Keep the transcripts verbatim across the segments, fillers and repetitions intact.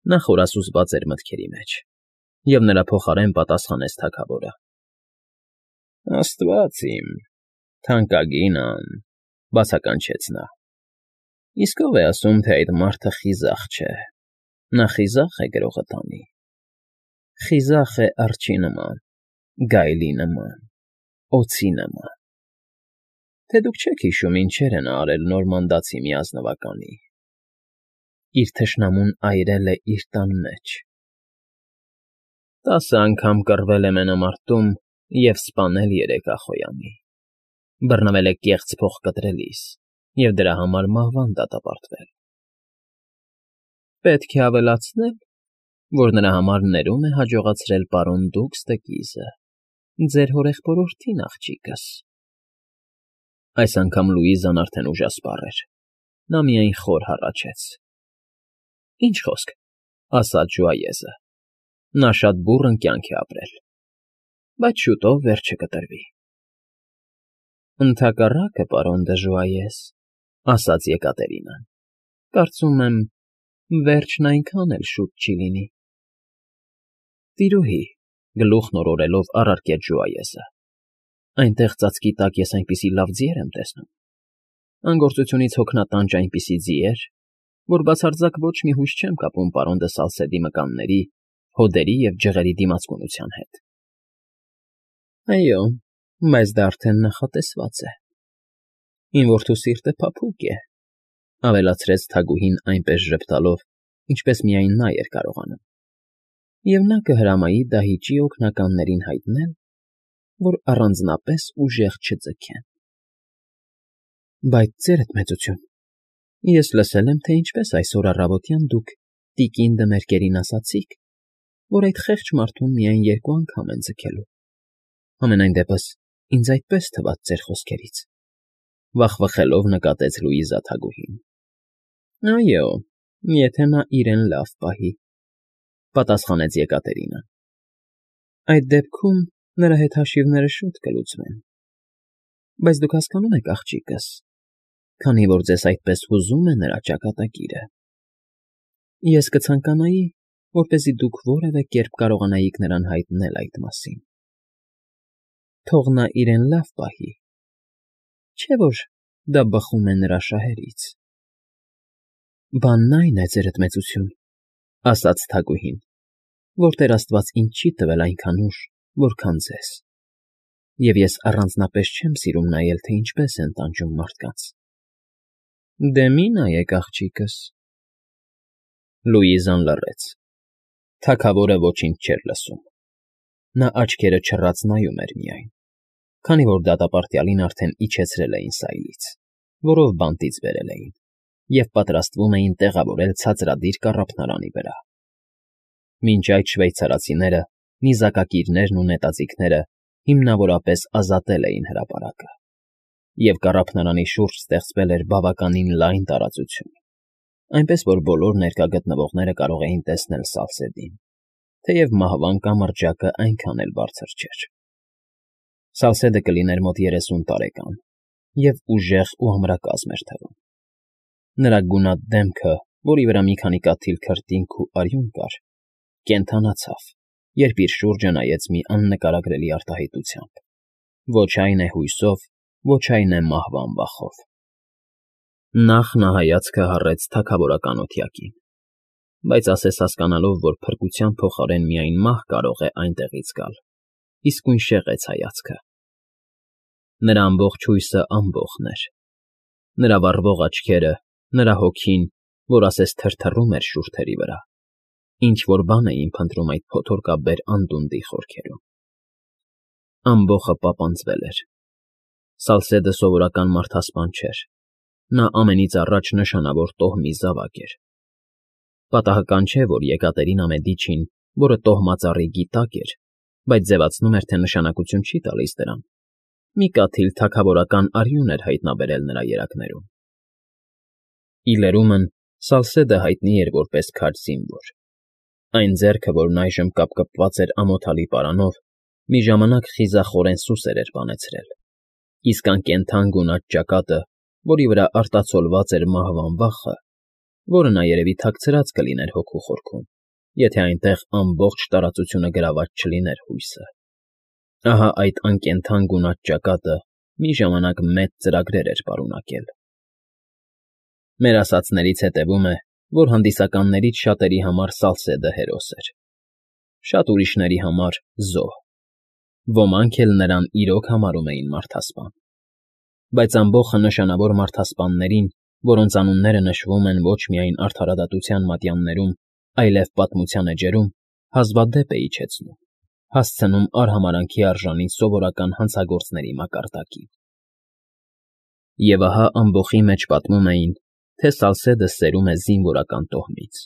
Նա խորասուզված էր մտքերի մեջ, և նրա փոխարեն պատասխանեց թագավորը. ֊ Աստված իմ, թանկագինն,֊ բացականչեց նա։֊ Իսկ ո՞վ է ասում, թե այդ մարդը խիզախ չէ, նա խիզախ է գրողը տանի, խիզախ է արջի նման, գայլի նման, օձի նման… Թե դուք չեք հիշում ինչեր է նա արել նորմանդացի մի ազնվականի… Իր թշնամուն այրել է իր տան մեջ… Տասը անգամ կռվել է մենամարտում և սպանել երեք ախոյանի, բռնվել է կեղծ փողկտրելիս և դրա համար մահվան դատապարտվել… Պետք է ավելացնել, որ նրա համար ներում է հաջողացրել պարոն Դուքս դը Կիզը, ձեր հորեղբորորդին, աղջիկս… Այս անգամ Լուիզան արդեն ուժասպառ էր, նա միայն խոր հառաչեց. ֊ Ինչ խոսք,֊ ասաց ժուայեզը,֊ նա շատ բուռն կյանք է ապրել, բայց շուտով վերջը կտրվի… ֊ Ընդհակառակը, պարոն դը Ժուայես,֊ ասաց Եկատերինան,֊ կարծում եմ, վերջն այնքան էլ շուտ չի լինի… ֊ Տիրուհի,֊ գլուխն օրորելով առարկեց ժուայեզը,֊ այնտեղ ծածկի տակ ես այնպիսի լավ ձիեր եմ տեսնում, անգործությունից հոգնատանջ այնպիսի ձիեր, որ բացարձակ ոչ մի հույս չեմ կապում պարոն դը Սալսեդի մկանների, հոդերի և ջղերի դիմացկունության հետ… ֊ Այո, բայց դա արդեն նախատեսված է… Իմ որդու սիրտը փափուկ է,֊ ավելացրեց թագուհին այնպես ժպտալով, ինչպես միայն նա էր կարողանում,֊ և նա կհրամայի դահիճի օգնականներին հայտնել, որ առանձնապես ուժեղ չձգեն… ֊ Բայց, ձերդ մեծություն, ես լսել եմ, թե ինչպես այսօր առավոտյան դուք տիկին դը Մերկերին ասացիք, որ այդ խեղճ մարդուն միայն երկու անգամ են ձգելու… Համենայն դեպս ինձ այդպես թվաց ձեր խոսքերից,֊ վախվխելով նկատեց Լուիզա թագուհին։ ֊ Այո, եթե նա իրեն լավ պահի,֊ պատասխանեց Եկատերինան։ ֊ Այդ դեպքում նրա հետ հաշիվները շուտ կլուծվեն… Բայց դուք հասկանո՞ւմ եք, աղջիկս, քանի որ ձեզ այդպես հուզում է նրա ճակատագիրը, ես կցանկանայի, որպեսզի դուք որևէ կերպ կարողանայիք նրան հայտնել այդ մասին… Թող նա իրեն լավ պահի, չէ՞ որ դա բխում է նրա շահերից… ֊ Բանն այն է, ձերդ մեծություն,֊ ասաց թագուհին, որ Տեր աստված ինձ չի տվել այնքան ուժ, որքան ձեզ, և ես առանձնապես չեմ սիրում նայել, թե ինչպես են տանջում մարդկանց… ֊ Դե մի նայեք, աղջիկս… Լուիզան լռեց… Թագավորը ոչինչ չէր լսում… Նա աչքերը չռած նայում էր միայն, քանի որ դատապարտյալին արդեն իջեցրել էին սայլից, որով բանտից բերել էին, և պատրաստվում էին տեղավորել ցածրադիր կառափնարանի վրա… Մինչ այդ շվեյցարացիները, նիզակակիրներն ու նետաձիգները հիմնավորապես ազատել էին հրապարակը, և կառափնարանի շուրջ ստեղծվել էր բավականին լայն տարածություն, այնպես որ բոլոր ներկա գտնվողները կարող էին տեսնել Սալսեդին, թեև մահվան կամրջակը այնքան էլ բարձր չէր… Սալսեդը կլիներ մոտ երեսուն տարեկան և ուժեղ ու ամրակազմ էր թվում… Նրա գունատ դեմքը, որի վրա մի քանի կաթիլ քրտինք ու արյուն կար, կենդանացավ, երբ իր շուրջը նայեց մի աննկարագրելի արտահայտությամբ, ոչ այն է հույսով, ոչ այն է մահվան վախով… Նախ նա հայացքը հառեց թագավորական օթյակին, բայց ասես հասկանալով, որ փրկության փոխարեն միայն մահ կարող է այնտեղից գալ, իսկույն շեղեց հայացքը… Նրա ամբողջ հույսը ամբոխն էր… Նրա վառվող աչքերը, նրա հոգին, որ ասես թրթռում էր շուրթերի վրա, ինչ֊որ բան էին փնտրում այդ փոթորկաբեր անդունդի խորքերում… Ամբոխը պապանձվել էր… Սալսեդը սովորական մարդասպան չէր, նա ամենից առաջ նշանավոր տոհմի զավակ էր… Պատահական չէ, որ Եկատերինա Մեդիչին, որը տոհմածառի գիտակ էր, բայց ձևացնում էր, թե նշանակություն չի տալիս դրան, մի կաթիլ թագավորական արյուն էր հայտնաբերել նրա երակներում… Ի լրումն Սալսեդը հայտնի էր որպես քաջ զինվոր… Այն ձեռքը, որն այժմ կապկպված էր ամոթալի պարանով, մի ժամանակ խիզախորեն սուսեր էր բանեցրել, իսկ անկենդան գունատ ճակատը, որի վրա արտացոլված էր մահվան վախը, որը նա երևի թաքցրած կլիներ հոգու խորքում, եթե այնտեղ ամբողջ տարածությունը գրաված չլիներ հույսը։ Ահա այդ անկենդան գունատ ճակատը մի ժամանակ մեծ ծրագրեր էր պարունակել։ Մեր ասածներից հետևում է, որ հանդիսականներից շատերի համար Սալսեդը հերոս էր, շատ ուրիշների համար՝ զոհ, ոմանք էլ նրան իրոք համարում էին մարդասպան։ Բայց ամբոխը նշանավոր մարդասպաններին, որոնց անունները նշվում են ոչ միայն արդարադատության մատյաններում, այլև պատմության էջերում, հազվադեպ է իջեցնում, հասցնում արհամարհանքի արժանի սովորական հանցագործների մակարդակին։ Եվ ահա ամբոխի մեջ պատմում էին, թե Սալսեդը սերում է զինվորական տոհմից,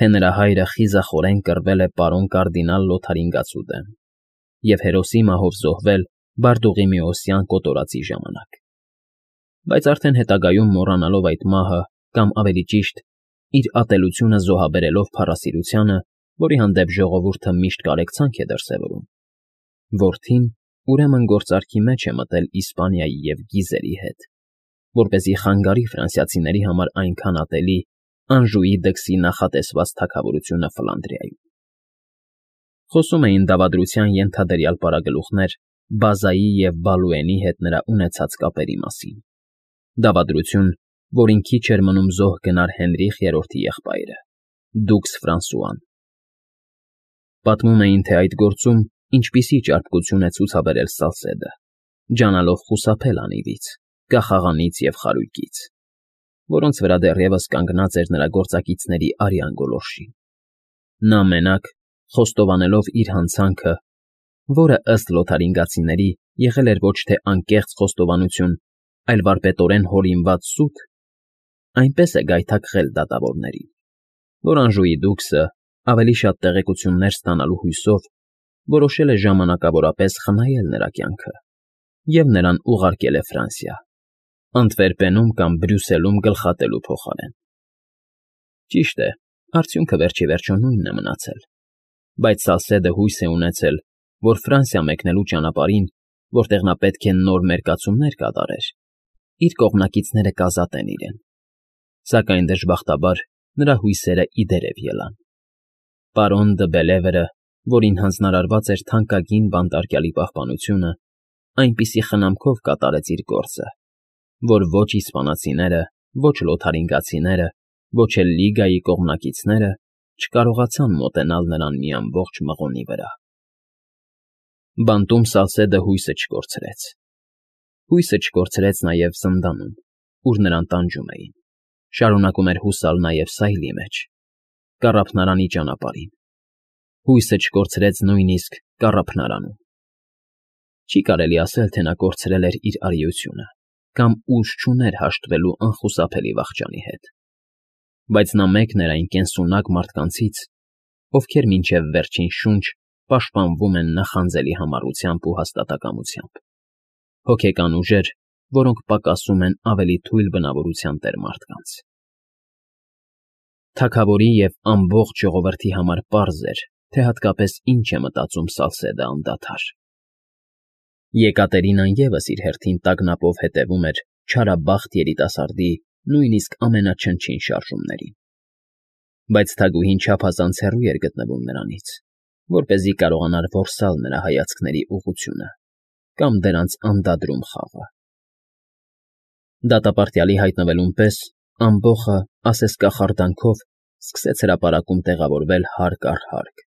թե նրա հայրը խիզախորեն կռվել է պարոն կարդինալ Լոթարինգացու դեմ և հերոսի մահով զոհվել Բարդուղիմեոսյան կոտորածի ժամանակ։ Բայց արդեն հետագայում մոռանալով այդ մահը, կամ ավելի ճիշտ, իր ատելությունը զոհաբերելով փառասիրությանը, որի հանդեպ ժողովուրդը միշտ կարեկցանք է դրսևորում, որդին ուրեմն գործարքի մեջ է մտել Իսպանիայի և Գիզերի հետ, որպեսզի խանգարի ֆրանսիացիների համար այնքան ատելի Անժուի դքսի նախատեսված թագավորությունը Ֆլանդրիայում։ Խոսում էին դավադրության ենթադրյալ պարագլուխներ Բազայի և Բալուենի հետ նրա ունեցած կապերի մասին, դավադրություն, որին քիչ էր մնում զոհ գնար Հենրիխ երրորդի եղբայրը՝ դուքս Ֆրանսուան։ Պատմում էին, թե այդ գործում ինչպիսի ճարպկություն է ցուցաբերել Սալսեդը, ջանալով խուսափել անիվից, կախաղանից և խարույկից, որոնց վրա դեռևս կանգնած էր նրա գործակիցների արյան գոլորշին։ Նա մենակ, խոստովանելով իր հանցանքը, որը ըստ լոթարինգացիների եղել էր ոչ թե անկեղծ խոստովանություն, այլ վարպետորեն հորինված սուտ, այնպես է գայթակղել դատավորներին, որ Անժուի դուքսը, ավելի շատ տեղեկություններ ստանալու հույսով, որոշել է ժամանակավորապես խնայել նրա կյանքը և նրան ուղարկել է Ֆրանսիա, Անտվերպենում կամ Բրյուսելում գլխատելու փոխարեն։ Ճիշտ է, արդյունքը վերջիվերջո նույնն է մնացել, բայց Սալսեդը հույս է ունեցել, որ Ֆրանսիա մեկնելու ճանապարհին, որտեղ նա պետք է նոր մերկացումներ կատարեր, իր կողմնակիցները կազատեն իրեն, սակայն դժբախտաբար նրա հույսերը ի դերև ելան։ Պարոն դը Բելևերը, որին հանձնարարված էր թանկագին բանտարկյալի պահպանությունը, այնպիսի խնամքով կատարեց իր գործը, որ ոչ իսպանացիները, ոչ լոթարինգացիները, ոչ էլ Լիգայի կողմնակիցները չկարողացան մոտենալ նրան մի ամբողջ մղոնի վրա։ Բանտում Սալսեդը հույսը չկորցրեց։ Հույսը չկորցրեց նաև զնդանում, ուր նրան տանջում էին, շարունակում էր հուսալ նաև սայլի մեջ, կառափնարանի ճանապարհին, հույսը չկորցրեց նույնիսկ կառափնարանում։ Չի կարելի ասել, թե նա կորցրել էր իր արիությունը կամ ուժ չուներ հաշտվելու անխուսափելի վախճանի հետ, բայց նա մեկն էր այն կենսունակ մարդկանցից, ովքեր մինչև վերջին շունչ պաշտպանվում են նախանձելի համառությամբ ու հաստատակամությամբ, հոգեկան ուժեր, որոնք պակասում են ավելի թույլ բնավորության տեր մարդկանց։ Թագավորի և ամբողջ ժողովրդի համար պարզ էր, թե հատկապես ինչ է մտածում Սալսեդը անդադար։ Եկատերինան ևս իր հերթին տագնապով հետևում էր չարաբախտ երիտասարդի նույնիսկ ամենաչնչին շարժումներին, բայց թագուհին չափազանց հեռու էր գտնվում նրանից, որպեսզի կարողանար որսալ նրա հայացքների ուղղությունը կամ դրանց անդադրում խաղը։ Դատապարտյալի հայտնվելուն պես ամբոխը, ասես կախարդանքով, սկսեց հրապարակում տեղավորվել հարկ առ հարկ։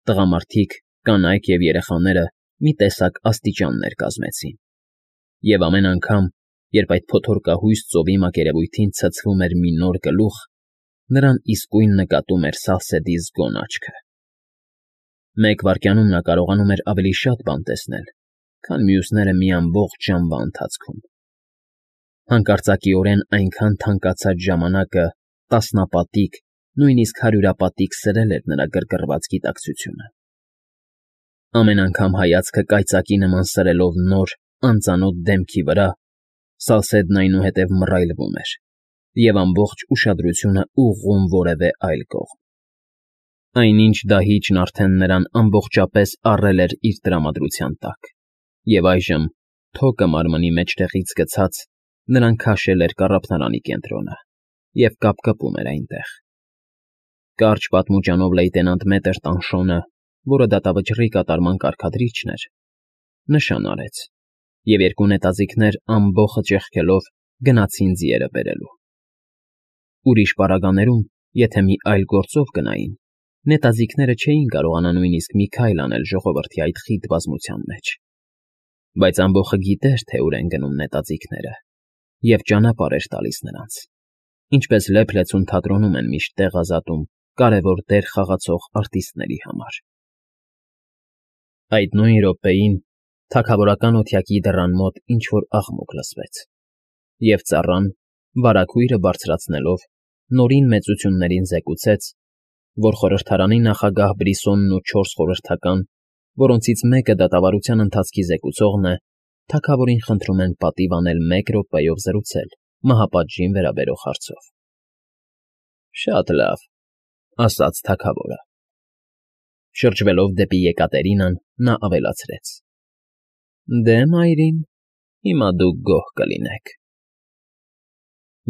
Տղամարդիկ, կանայք և երեխաները մի տեսակ աստիճաններ կազմեցին, և ամեն անգամ, երբ այդ փոթորկահույս ծովի մակերևույթին ցցվում էր մի նոր գլուխ, նրան իսկույն նկատում էր Սալսեդի զգոն աչքը։ Մեկ վայրկյանում նա կարողանում էր ավելի շատ բան տեսնել, քան մյուսները մի ամբողջ ժամվա ընթացքում։ Հանկարծակիորեն այնքան թանկացած ժամանակը տասնապատիկ, նույնիսկ հարյուրապատիկ սրել էր նրա գրգռված գիտակցությունը։ Ամեն անգամ հայացքը կայծակի նման սրելով նոր, անծանոթ դեմքի վրա, Սալսեդն այնուհետև մռայլվում էր և ամբողջ ուշադրությունը ուղղում որևէ այլ կողմ։ Այնինչ դահիճն արդեն նրան ամբողջապես առել էր իր տրամադրության տակ, և այժմ, թոկը մարմնի մեջտեղից գցած, նրան քաշել էր կառափնարանի կենտրոնը և կապկպում էր այնտեղ։ Կարճ պատմուճանով լեյտենանտ Մետր Տանշոնը, որը դատավճռի կատարման կարգադրիչն էր, նշան արեց, և երկու նետաձիգներ ամբոխը ճեղքելով գնացին ձիերը բերելու։ Ուրիշ պարագաներում, եթե մի այլ գործով գնային, նետաձիգները չէին կարողանա նույնիսկ մի քայլ անել ժողովրդի այդ խիտ բազմության մեջ։ Բայց ամբոխը գիտեր, թե ուր են գնում նետաձիգները, և ճանապարհ էր տալիս նրանց, ինչպես լեփ-լեցուն թատրոնում են միշտ տեղ ազատում կարևոր դեր խաղացող արտիստների համար։ Այդ նույն րոպեին թագավորական օթյակի դռան մոտ ինչ֊որ աղմուկ լսվեց, և ծառան, վարագույրը բարձրացնելով, նորին մեծություններին զեկուցեց, որ խորհրդարանի նախագահ Բրիսոնն ու չորս խորհրդական, որոնցից մեկը դատավարության ընթացքի զեկուցողն է, թագավորին խնդրում են պատիվ անել մեկ րոպեով զրուցել մահապատժին վերաբերող հարցով։ ֊ Շատ լավ,֊ ասաց թագավորը։ Շրջվելով դեպի Եկատերինան, նա ավելացրեց. «Դե, մայրիկ, հիմա դուք գոհ կլինեք»։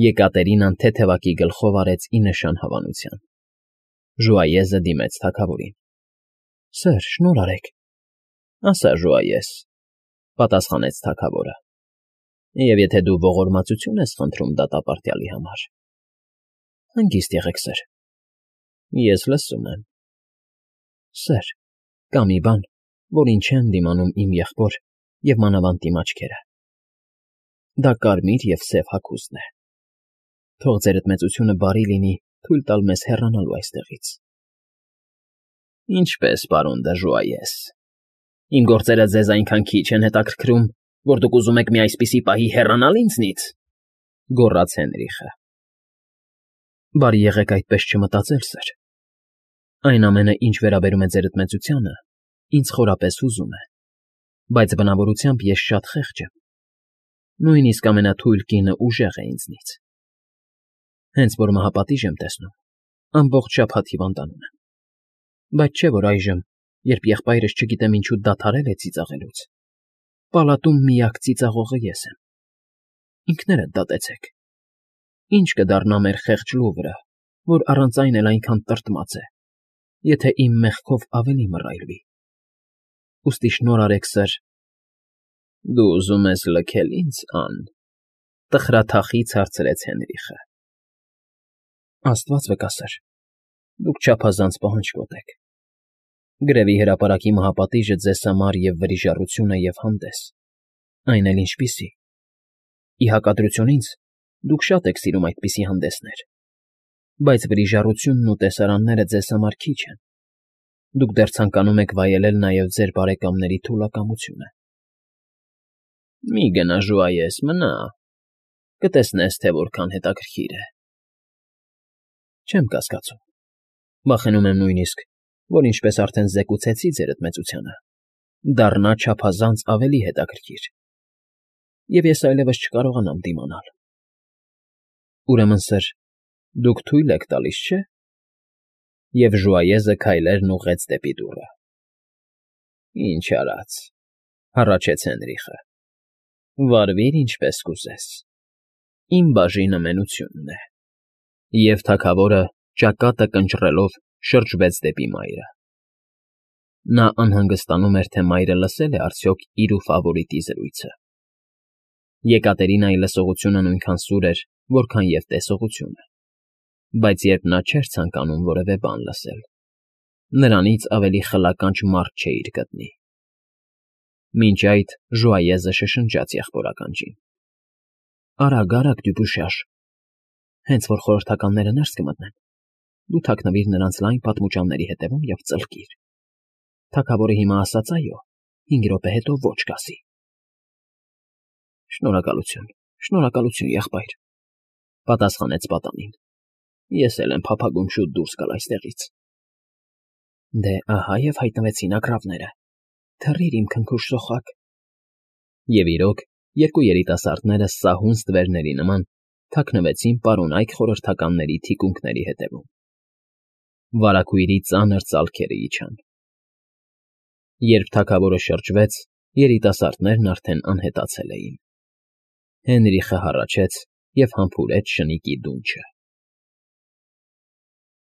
Եկատերինան թեթևակի գլխով արեց ի նշան հավանության։ Ժուայեզը դիմեց թագավորին։ ֊ Սըր, շնորհ արեք,֊ ասա Ժուայես,֊ պատասխանեց թագավորը,֊ և եթե դու ողորմածություն ես խնդրում դատապարտյալի համար։ ֊ Հանգիստ եղեք, սըր։ ֊ Ես լսում եմ։ ֊ Սըր, կա մի բան, որին չեն դիմանում իմ եղբոր և մանավանդ իմ աչքերը. դա կարմիր և սև հագուստն է։ Թող ձերդ մեծությունը բարի լինի թույլ տալ մեզ հեռանալու այստեղից։ ֊ Ինչպե՞ս, պարոն դը Ժուայես, իմ գործերը ձեզ այնքան քիչ են հետաքրքրում, որ դուք ուզում եք մի այսպիսի պահի հեռանալ ինձնից,֊ գոռաց Հենրիխը։ ֊ Բարի եղեք այդպես չմտածել, սըր։ Այն ամենը, ինչ վերաբերում է ձերդ մեծությանը, ինձ խորապես հուզում է, բայց բնավորությամբ ես շատ խեղճ եմ, նույնիսկ ամենաթույլ կինը ուժեղ է ինձնից։ Հենց որ մահապատիժ եմ տեսնում, ամբողջ շաբաթ հիվանդանում եմ, բայց չէ որ այժմ, երբ եղբայրս չգիտեմ ինչու դադարել է ծիծաղելուց, պալատում միակ ծիծաղողը ես եմ։ Ինքներդ դատեցեք. ինչ կդառնա մեր խեղճ Լուվրը, որ առանց այն էլ այնքան տրտմած է, եթե իմ մեղքով ավելի մռայլվի։ Ուստի շնորհ արեք, սըր։ ֊ Դու ուզում ես լքել ինձ, ա՞ն,֊ տխրաթախիծ հարցրեց Հենրիխը։ ֊ Աստված վկա, սըր, դուք չափազանց պահանջկոտ եք։ Գրևի հրապարակի մահապատիժը ձեզ համար և վրիժառություն է և հանդես, այն էլ ինչպիսի։ Ի հակադրություն ինձ, դուք շատ եք սիրում այդպիսի հանդեսներ, բայց վրիժառությունն ու տեսարանները ձեզ համար քիչ են, դուք դեռ ցանկանում եք վայելել նաև ձեր բարեկամների թուլակամությունը։ ֊ Մի գնա, Ժուայես, մնա, կտեսնես, թե որքան հետաքրքիր է։ ֊ Չեմ կասկածում, վախենում եմ նույնիսկ, որ ինչպես արդեն զեկուցեցի ձերդ մեծությանը, դառնա չափազանց ավելի հետաքրքիր, և ես այլևս չկարողանամ դիմանալ։ Ուրեմն, սըր, դուք թույլ եք տալիս, չէ՞։ Եվ Ժուայեզը քայլերն ուղղեց դեպի դուռը։ ֊ Ինչ արած,֊ հառաչեց Հենրիխը,֊ վարվիր ինչպես կուզես, իմ բաժինը մենությունն է։ Եվ թագավորը, ճակատը կնճռելով, շրջվեց դեպի մայրը։ Նա անհանգստանում էր, թե մայրը լսել է արդյոք իր ու ֆավորիտի զրույցը։ Եկատերինայի լսողությունը նույնքան սուր էր, որքան և տեսողությունը, բայց երբ նա չէր ցանկանում որևէ բան լսել, նրանից ավելի խլականջ մարդ չէիր գտնի։ Մինչ այդ Ժուայեզը շշնջաց եղբոր ականջին. ֊ Արագ, Դյուբուշաշ, հենց որ խորհրդականները ներս կմտնեն, դու թաքնվիր նրանց լայն պատմուճանների հետևում և ծլկիր։ Թագավորը հիմա ասաց այո, հինգ րոպե հետո ոչ կասի։ ֊ Շնորհակալություն, շնորհակալություն, եղբայր,֊ պատասխանեց պատանին։ Ես էլ եմ փափագում շուտ դուրս գալ այստեղից։ ֊ Դե, ահա և հայտնվեցին ագռավները, թռիր, իմ քնքուշ սոխակ։ Եվ իրոք, երկու երիտասարդները սահուն ստվերների նման թաքնվեցին պարոնայք խորհրդականների թիկունքների հետևում։ Վարագույրի ծանր ծալքերը իջան։ Երբ թագավորը շրջվեց, երիտասարդներն արդեն անհետացել էին։ Հենրիխը հառաչեց և համբուրեց շնիկի դունչը։